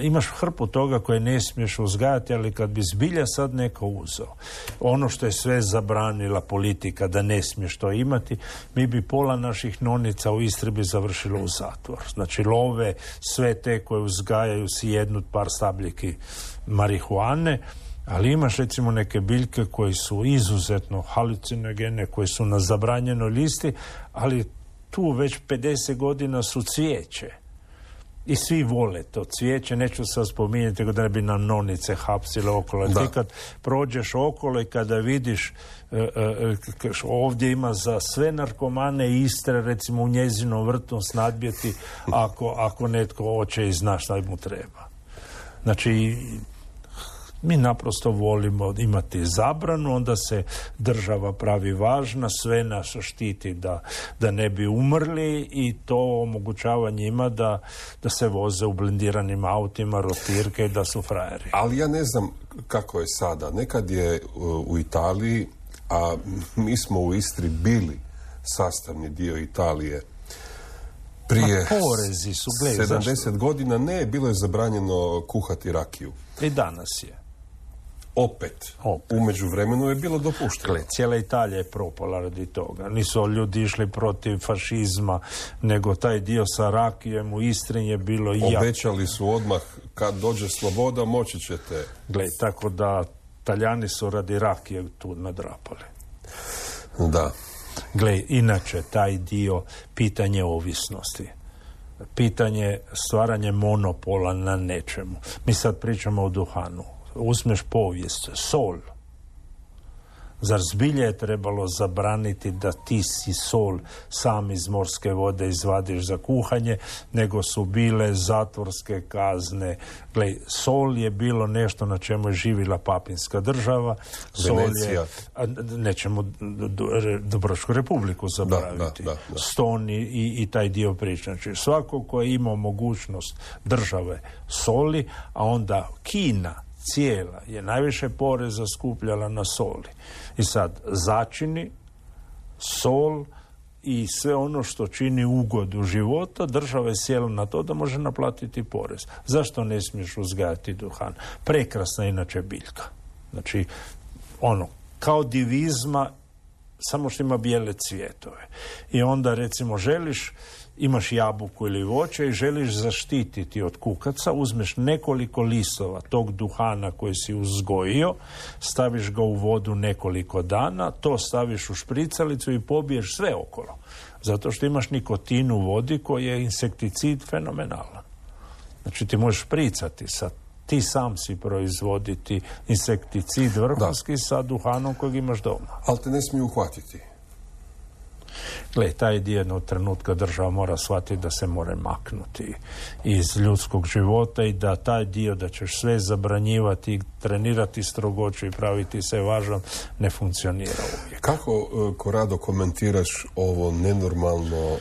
imaš hrpu toga koje ne smiješ uzgajati, ali kad bi zbilja sad neko uzeo ono što je sve zabranila politika da ne smiješ to imati, mi bi pola naših nonica u Istri bi završilo u zatvor. Znači love sve te koje uzgajaju si jednu par stabljiki marihuane, ali imaš recimo neke biljke koje su izuzetno halucinogene, koje su na zabranjenoj listi, ali tu već 50 godina su cvijeće. I svi vole to cvijeće, neću sad spominjati da ne bi nam nonice hapsile okolo. Ti kad prođeš okolo i kada vidiš ovdje ima za sve narkomane Istre, recimo u njezinom vrtu snadbjeti ako netko hoće i zna šta mu treba. Znači, mi naprosto volimo imati zabranu, onda se država pravi važna, sve nas štiti da ne bi umrli i to omogućava njima da se voze u blindiranim autima, rotirke i da su frajeri. Ali ja ne znam kako je sada. Nekad je u Italiji, a mi smo u Istri bili sastavni dio Italije, prije porezi su, 70 godina bilo je zabranjeno kuhati rakiju. I danas je. Opet. U međuvremenu je bilo dopušteno. Cijela Italija je propala radi toga. Nisu ljudi išli protiv fašizma, nego taj dio sa rakijem u Istri je bilo Obećali su odmah, kad dođe sloboda, moći ćete. Tako da Talijani su radi rakije tu nadrapali. Da. Inače, taj dio, pitanje ovisnosti. Pitanje stvaranje monopola na nečemu. Mi sad pričamo o duhanu. Uzmeš povijest, sol. Zar zbilje je trebalo zabraniti da ti si sol sam iz morske vode izvadiš za kuhanje, nego su bile zatvorske kazne. Sol je bilo nešto na čemu je živjela papinska država. Venecija. Nećemo Dubrovačku republiku zaboraviti. Da. Ston i taj dio priča. Znači, svako ko je imao mogućnost države soli, a onda Kina cijela je najviše poreza skupljala na soli. I sad začini, sol i sve ono što čini ugodu života, država je sjela na to da može naplatiti porez. Zašto ne smiješ uzgajati duhan? Prekrasna inače biljka. Znači, kao divizma, samo što ima bijele cvjetove. I onda recimo imaš jabuku ili voće i želiš zaštititi od kukaca, uzmeš nekoliko listova tog duhana koji si uzgojio, staviš ga u vodu nekoliko dana, to staviš u špricalicu i pobiješ sve okolo. Zato što imaš nikotin u vodi koji je insekticid fenomenalan. Znači ti možeš špricati ti sam si proizvoditi insekticid vrhunski sa duhanom kojeg imaš doma. Ali te ne smiju uhvatiti. Gle, taj jednog trenutka država mora shvatiti da se mora maknuti iz ljudskog života i da taj dio da ćeš sve zabranjivati, trenirati strogoću i praviti se važan, ne funkcionira uvijek. Kako, Korado, komentiraš ovo nenormalno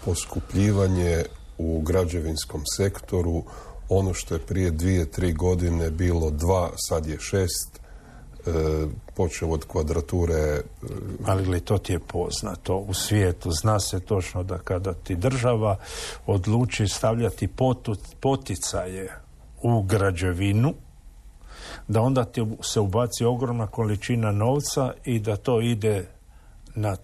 poskupljivanje u građevinskom sektoru, ono što je prije 2-3 godine bilo 2, sad je 6, počeo od kvadrature. Ali gledaj, to ti je poznato u svijetu. Zna se točno da kada ti država odluči stavljati poticaje u građevinu, da onda ti se ubaci ogromna količina novca i da to ide na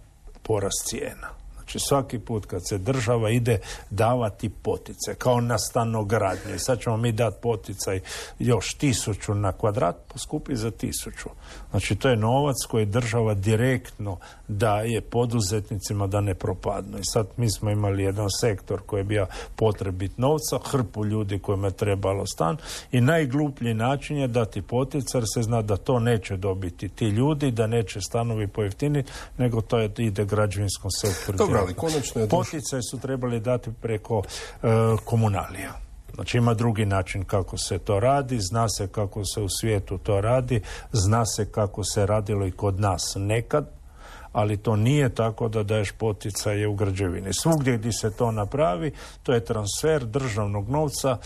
porast cijena. Znači svaki put kad se država ide davati poticaj, kao na stanogradnje, sad ćemo mi dati poticaj još 1000 na kvadrat, poskupi za 1000. Znači to je novac koji država direktno daje poduzetnicima da ne propadnu. I sad mi smo imali jedan sektor koji je bio potrebit novca, hrpu ljudi kojima je trebalo stan i najgluplji način je dati poticaj, se zna da to neće dobiti ti ljudi, da neće stanovi pojeftiniti, nego to ide građevinskom sektoru. Dobro, ali konačno je poticaj su trebali dati preko komunalija. Znači ima drugi način kako se to radi, zna se kako se u svijetu to radi, zna se kako se radilo i kod nas nekad, ali to nije tako da daješ poticaje u građevini. Svugdje gdje se to napravi, to je transfer državnog novca,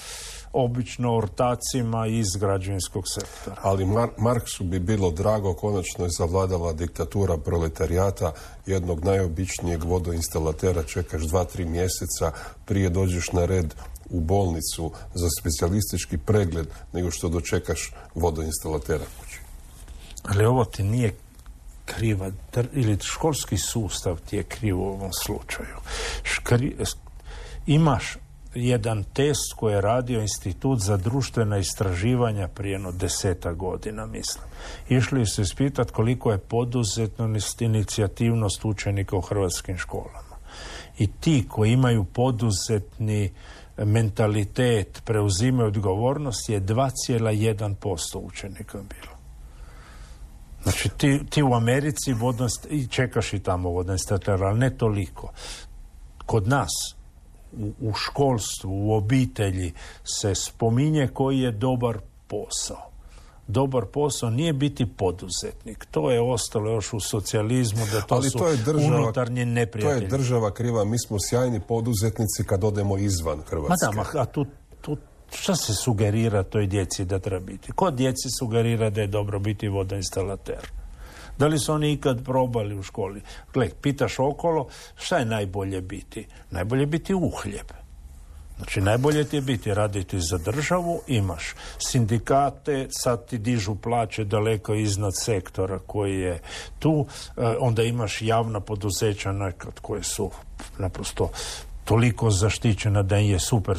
obično ortacima iz građevinskog sektora. Ali Marksu bi bilo drago, konačno je zavladala diktatura proletarijata, jednog najobičnijeg vodoinstalatera čekaš 2-3 mjeseca prije dođeš na red u bolnicu za specijalistički pregled nego što dočekaš vodoinstalatera kući. Ali ovo ti nije kriva, ili školski sustav ti je kriv u ovom slučaju. Imaš jedan test koji je radio Institut za društvena istraživanja prije 10 godina, mislim. Išli su ispitati koliko je poduzetnost, inicijativnost učenika u hrvatskim školama. I ti koji imaju poduzetni mentalitet, preuzimaju odgovornost, je 2,1% učenika bilo. Znači ti u Americi i čekaš i tamo vodoinstalater, ali ne toliko. Kod nas u školstvu, u obitelji se spominje koji je dobar posao. Dobar posao nije biti poduzetnik. To je ostalo još u socijalizmu, da to su unutarnji neprijatelji. To je država kriva. Mi smo sjajni poduzetnici kad odemo izvan Hrvatske. A tu šta se sugerira toj djeci da treba biti? Ko djeci sugerira da je dobro biti vodoinstalater? Da li su oni ikad probali u školi? Gle, pitaš okolo, šta je najbolje biti? Najbolje biti uhljeb. Znači, najbolje ti je biti raditi za državu, imaš sindikate, sad ti dižu plaće daleko iznad sektora koji je tu, onda imaš javna poduzeća nekad koje su naprosto toliko zaštićena da je super.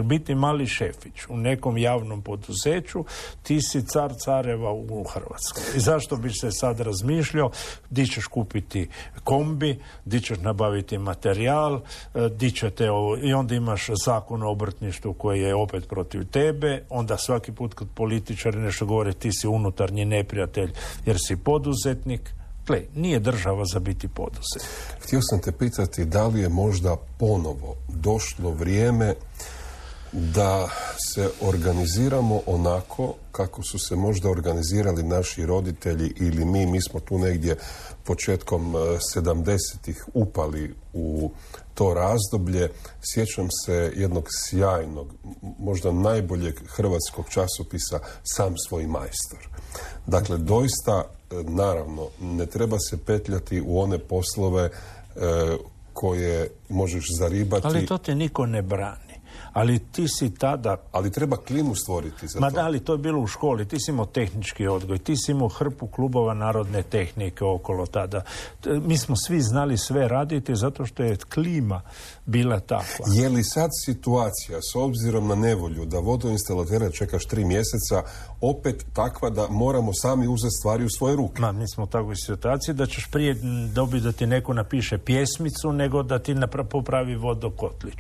Biti mali šefić u nekom javnom poduzeću, ti si car careva u Hrvatskoj. I zašto bi se sad razmišljao di ćeš kupiti kombi, di ćeš nabaviti materijal, di ćete ovo, i onda imaš zakon o obrtništvu koji je opet protiv tebe, onda svaki put kad političari nešto govore ti si unutarnji neprijatelj jer si poduzetnik. Gle, nije država za biti poduzetnik. Htio sam te pitati da li je možda ponovo došlo vrijeme da se organiziramo onako kako su se možda organizirali naši roditelji ili mi smo tu negdje početkom 70-ih upali u to razdoblje. Sjećam se jednog sjajnog, možda najboljeg hrvatskog časopisa Sam svoj majstor. Dakle, doista, naravno, ne treba se petljati u one poslove koje možeš zaribati. Ali to te niko ne brani. Ali ti si tada... Ali treba klimu stvoriti za to. Ma da, ali to je bilo u školi. Ti si imao tehnički odgoj. Ti si imao hrpu klubova narodne tehnike okolo tada. Mi smo svi znali sve raditi zato što je klima bila takva. Je li sad situacija, s obzirom na nevolju, da vodoinstalatera čekaš 3 mjeseca, opet takva da moramo sami uzeti stvari u svoje ruke? Ma, mi smo u takvoj situaciji da ćeš prije dobiti da ti neko napiše pjesmicu nego da ti popravi vodokotlić.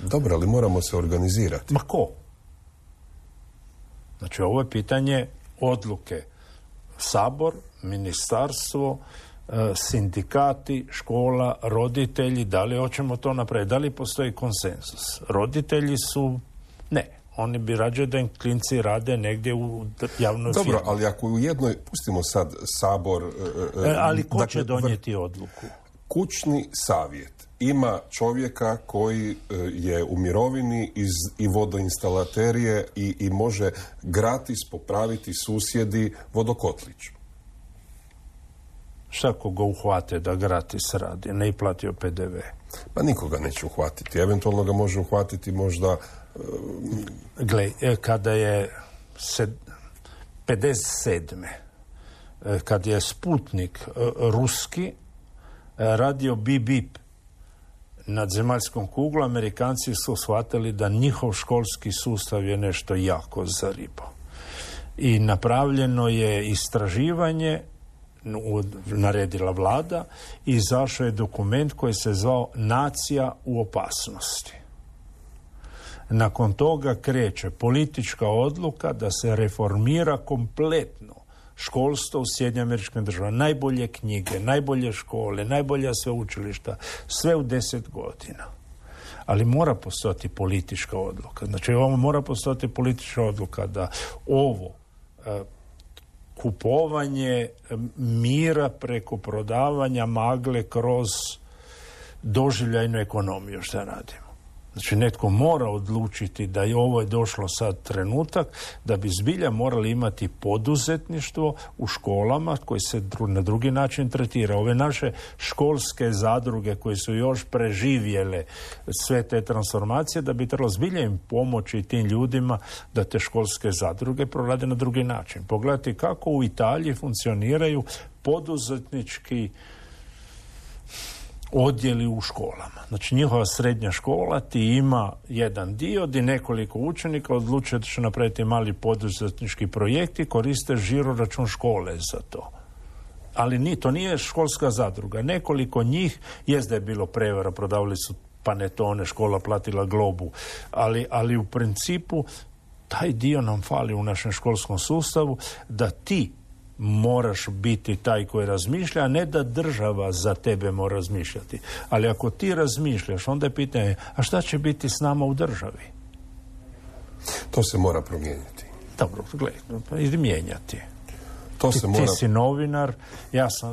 Dobro, ali moramo se organizirati. Ma ko? Znači, ovo je pitanje odluke. Sabor, ministarstvo, sindikati, škola, roditelji, da li hoćemo to napraviti, da li postoji konsenzus. Roditelji su, ne, oni bi rađe da im klinci rade negdje u javnoj firmi. Dobro, ali ako u jednoj, pustimo sad Sabor... ali ko će donijeti odluku? Kućni savjet ima čovjeka koji je u mirovini i vodoinstalaterije i može gratis popraviti susjedi vodokotlić. Šta ako ga uhvate da gratis radi, ne i platio PDV? Pa nikoga neće uhvatiti. Eventualno ga može uhvatiti možda... Gle, kada je 57. kad je Sputnik ruski radio bip nad zemaljskom kuglom, Amerikanci su shvatili da njihov školski sustav je nešto jako zaribao. I napravljeno je istraživanje, naredila vlada, i izašao je dokument koji se zvao Nacija u opasnosti. Nakon toga kreće politička odluka da se reformira kompletno školstvo u Sjedinjenim Američkim Državama. Najbolje knjige, najbolje škole, najbolja sveučilišta, sve u 10 godina. Ali mora postojati politička odluka. Znači, ovo mora postojati politička odluka da ovo kupovanje mira preko prodavanja magle kroz doživljajnu ekonomiju što radimo. Znači, netko mora odlučiti da je ovo došlo sad trenutak da bi zbilja morali imati poduzetništvo u školama koji se na drugi način tretira. Ove naše školske zadruge koje su još preživjele sve te transformacije, da bi trebalo zbilja im pomoći tim ljudima da te školske zadruge prorade na drugi način. Pogledajte kako u Italiji funkcioniraju poduzetnički odjeli u školama. Znači, njihova srednja škola ti ima jedan dio gdje nekoliko učenika odlučuje da će napraviti mali poduzetnički projekt i koriste žiro račun škole za to. Ali to nije školska zadruga. Nekoliko njih, jest da je bilo prevara, prodavali su panetone, škola platila Globu, ali u principu taj dio nam fali u našem školskom sustavu, da ti moraš biti taj koji razmišlja, a ne da država za tebe mora razmišljati. Ali ako ti razmišljaš, onda je pitanje, a šta će biti s nama u državi? To se mora promijeniti. Dobro, gledaj, idi mijenjati. Ti si novinar,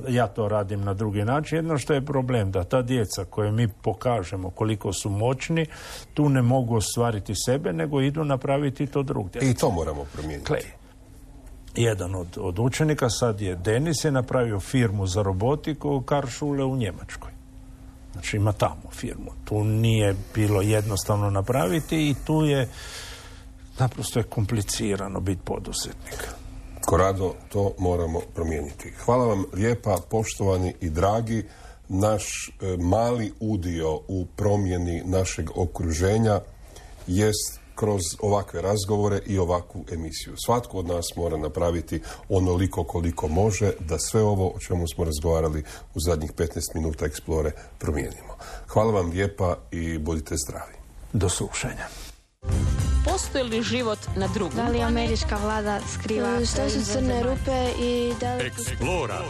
ja to radim na drugi način. Jedno što je problem, da ta djeca koje mi pokažemo koliko su moćni, tu ne mogu ostvariti sebe, nego idu napraviti to drugdje. I to moramo promijeniti. Jedan od učenika, sad je Denis, je napravio firmu za robotiku Karlsruhe u Njemačkoj. Znači, ima tamo firmu. Tu nije bilo jednostavno napraviti i tu je naprosto je komplicirano biti poduzetnik. Korado, to moramo promijeniti. Hvala vam lijepa, poštovani i dragi. Naš mali udio u promjeni našeg okruženja jest kroz ovakve razgovore i ovakvu emisiju. Svatko od nas mora napraviti onoliko koliko može da sve ovo o čemu smo razgovarali u zadnjih 15 minuta Explore promijenimo. Hvala vam lijepa i budite zdravi. Do slušanja. Postoji li život na drugom? Da li američka vlada skriva? Što su crne rupe i da li... Explora.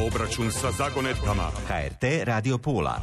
Obračun sa zagonetkama. HRT Radio Pula.